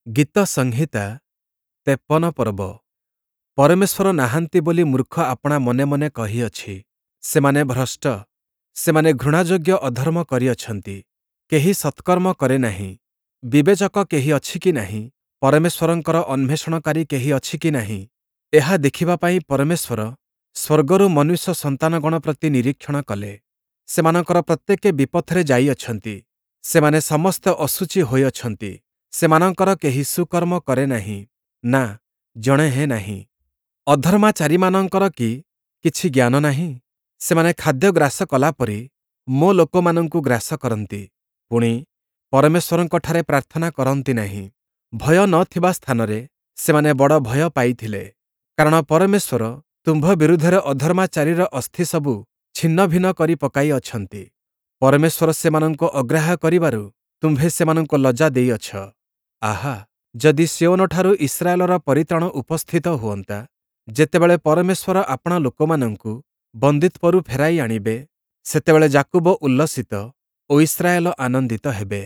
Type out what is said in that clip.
ଗୀତସଂହିତା 53 ପର୍ବ। ପରମେଶ୍ୱର ନାହାନ୍ତି ବୋଲି ମୂର୍ଖ ଆପଣା ମନେ ମନେ କହିଅଛି। ସେମାନେ ଭ୍ରଷ୍ଟ, ସେମାନେ ଘୃଣାଯୋଗ୍ୟ ଅଧର୍ମ କରିଅଛନ୍ତି, କେହି ସତ୍କର୍ମ କରେ ନାହିଁ। ବିବେଚକ କେହି ଅଛି କି ନାହିଁ? ପରମେଶ୍ୱରଙ୍କର ଅନ୍ୱେଷଣକାରୀ କେହି ଅଛି କି ନାହିଁ? ଏହା ଦେଖିବା ପାଇଁ ପରମେଶ୍ୱର ସ୍ୱର୍ଗରୁ ମନୁଷ୍ୟ ସନ୍ତାନଗଣ ପ୍ରତି ନିରୀକ୍ଷଣ କଲେ। ସେମାନଙ୍କର ପ୍ରତ୍ୟେକେ ବିପଥରେ ଯାଇଅଛନ୍ତି, ସେମାନେ ସମସ୍ତେ ଅଶୁଚି ହୋଇଅଛନ୍ତି। ସେମାନଙ୍କର କେହି ସୁକର୍ମ କରେ ନାହିଁ, ନା, ଜଣେ ହେଁ ନାହିଁ। ଅଧର୍ମାଚାରୀମାନଙ୍କର କି କିଛି ଜ୍ଞାନ ନାହିଁ? ସେମାନେ ଖାଦ୍ୟ ଗ୍ରାସ କଲାପରି ମୋ ଲୋକମାନଙ୍କୁ ଗ୍ରାସ କରନ୍ତି, ପୁଣି, ପରମେଶ୍ୱରଙ୍କଠାରେ ପ୍ରାର୍ଥନା କରନ୍ତି ନାହିଁ। ଭୟ ନ ଥିବା ସ୍ଥାନରେ ସେମାନେ ବଡ଼ ଭୟ ପାଇଥିଲେ, କାରଣ ପରମେଶ୍ୱର ତୁମ୍ଭ ବିରୁଦ୍ଧରେ ଅଧର୍ମାଚାରୀର ଅସ୍ଥିସବୁ ଛିନ୍ନଭିନ୍ନ କରି ପକାଇ ଅଛନ୍ତି। ପରମେଶ୍ୱର ସେମାନଙ୍କୁ ଅଗ୍ରାହ୍ୟ କରିବାରୁ ତୁମ୍ଭେ ସେମାନଙ୍କୁ ଲଜ୍ଜା ଦେଇଅଛ। ଆହା, ଯଦି ସିୟୋନଠାରୁ ଇସ୍ରାଏଲର ପରିତ୍ରାଣ ଉପସ୍ଥିତ ହୁଅନ୍ତା! ଯେତେବେଳେ ପରମେଶ୍ୱର ଆପଣା ଲୋକମାନଙ୍କୁ ବନ୍ଦୀତ୍ୱରୁ ଫେରାଇ ଆଣିବେ, ସେତେବେଳେ ଯାକୁବ ଉଲ୍ଲସିତ ଓ ଇସ୍ରାଏଲ ଆନନ୍ଦିତ ହେବେ।